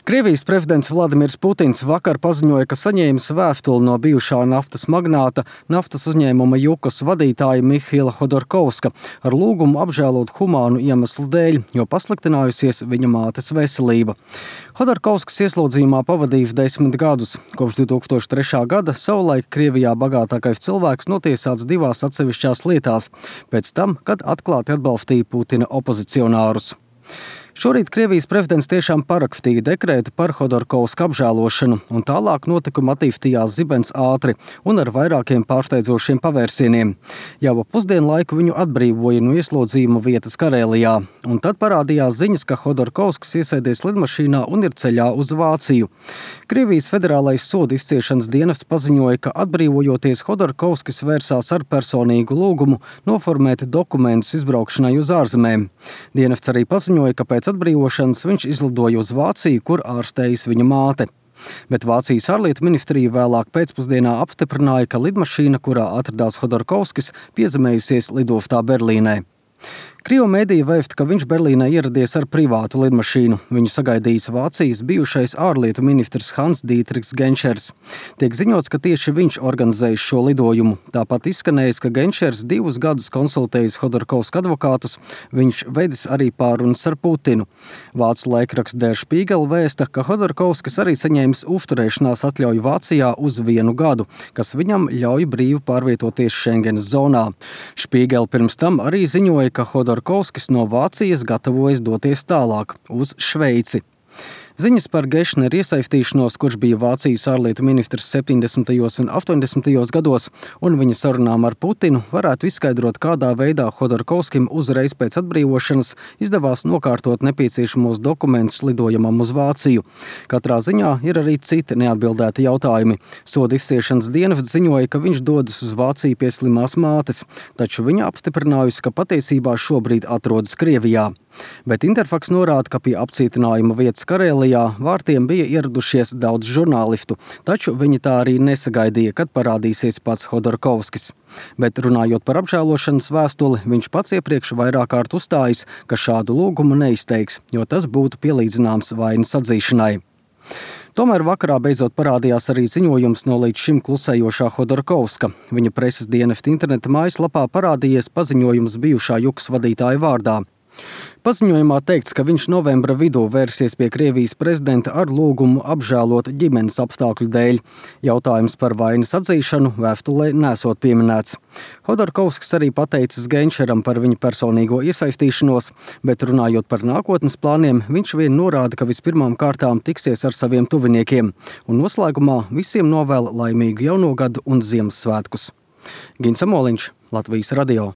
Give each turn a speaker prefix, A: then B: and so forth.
A: Krievijas prezidents Vladimirs Putins vakar paziņoja, ka saņēmis vēstuli no bijušā naftas magnāta, naftas uzņēmuma Jukas vadītāja Mihaila Hodorkovska ar lūgumu apžēlot humānu iemeslu dēļ, jo pasliktinājusies viņa mātes veselība. Hodorkovskis ieslodzījumā pavadījis 10 gadus. Kopš 2003. gada savulaik Krievijā bagātākais cilvēks notiesāts 2 atsevišķās lietās, pēc tam, kad atklāti atbalstīja Putina opozicionārus. Šorīt Krievijas prezidents tiešām parakstīja dekrētu par Hodorkovska apžēlošanu, un tālāk notikumi attīstījās zibens ātri un ar vairākiem pārsteidzošiem pavērsieniem. Jau ap pusdienlaiku viņu atbrīvoja no ieslodzījuma vietas Karēlijā, un tad parādījās ziņas, ka Hodorkovskis iesēdies lidmašīnā un ir ceļā uz Vāciju. Krievijas federālais sodu izciešanas dienests paziņoja, ka atbrīvojoties Hodorkovskis vērsās ar personīgu lūgumu noformēt dokumentus izbraukšanai uz ārzemēm. Dienests arī paziņoja, ka pēc atbrīvošanas viņš izlidoja uz Vāciju, kur ārstējas viņa māte. Bet Vācijas ārlietu ministrija vēlāk pēcpusdienā apstiprināja, ka lidmašīna, kurā atradās Hodorkovskis, piezemējusies lidostā Berlīnē. Krievu mēdīja vēsta, ka viņš Berlīnē ieradies ar privātu lidmašīnu. Viņu sagaidījis Vācijas bijušais ārlietu ministrs Hans-Dietrichs Genšers. Tiek ziņots, ka tieši viņš organizējis šo lidojumu. Tāpat izskanējis, ka Genšers 2 gadus konsultējis Hodorkovska advokātus. Viņš veidis arī pārunas ar Putinu. Vācu laikraksts Der Spiegel vēsta, ka Hodorkovskis arī saņēmis uzturēšanās atļauju Vācijā uz 1 gadu, kas viņam ļauj brīvi pārvietoties Schengenas zonā. Spiegel pirms tam arī ziņoja, ka Hodorkovskis no Vācijas gatavojas doties tālāk uz Šveici. Ziņas par Gešneru iesaistīšanos, kurš bija Vācijas ārlietu ministrs 70. un 80. gados, un viņa sarunām ar Putinu varētu izskaidrot, kādā veidā Hodorkovskim uzreiz pēc atbrīvošanas izdevās nokārtot nepieciešamos dokumentus lidojumam uz Vāciju. Katrā ziņā ir arī citi neatbildēti jautājumi. Sodu izciešanas dienests ziņoja, ka viņš dodas uz Vāciju pie slimās mātes, taču viņa apstiprinājusi, ka patiesībā šobrīd atrodas Krievijā. Bet Interfaks norāda, ka pie apcietinājuma vietas Karēlijā vārtiem bija ieradušies daudz žurnālistu, taču viņi tā arī nesagaidīja, kad parādīsies pats Hodorkovskis. Bet runājot par apžēlošanas vēstuli, viņš pats iepriekš vairāk kārt uzstājis, ka šādu lūgumu neizteiks, jo tas būtu pielīdzināms vainas atzīšanai. Tomēr vakarā beidzot parādījās arī ziņojums no līdz šim klusējošā Hodorkovska. Viņa preses dienesta interneta mājaslapā parādījies paziņojums bijušā Jukas vadītāja vārdā. Paziņojumā teikts, ka viņš novembra vidū vērsies pie Krievijas prezidenta ar lūgumu apžēlot ģimenes apstākļu dēļ. Jautājums par vainas atzīšanu vēstulē nesot pieminēts. Hodorkovskis arī pateicis Genšeram par viņa personīgo iesaistīšanos, bet runājot par nākotnes plāniem, viņš vien norāda, ka vispirmām kārtām tiksies ar saviem tuviniekiem, un noslēgumā visiem novēl laimīgu jauno gadu un Ziemassvētkus. Gins Amoliņš, Latvijas radio.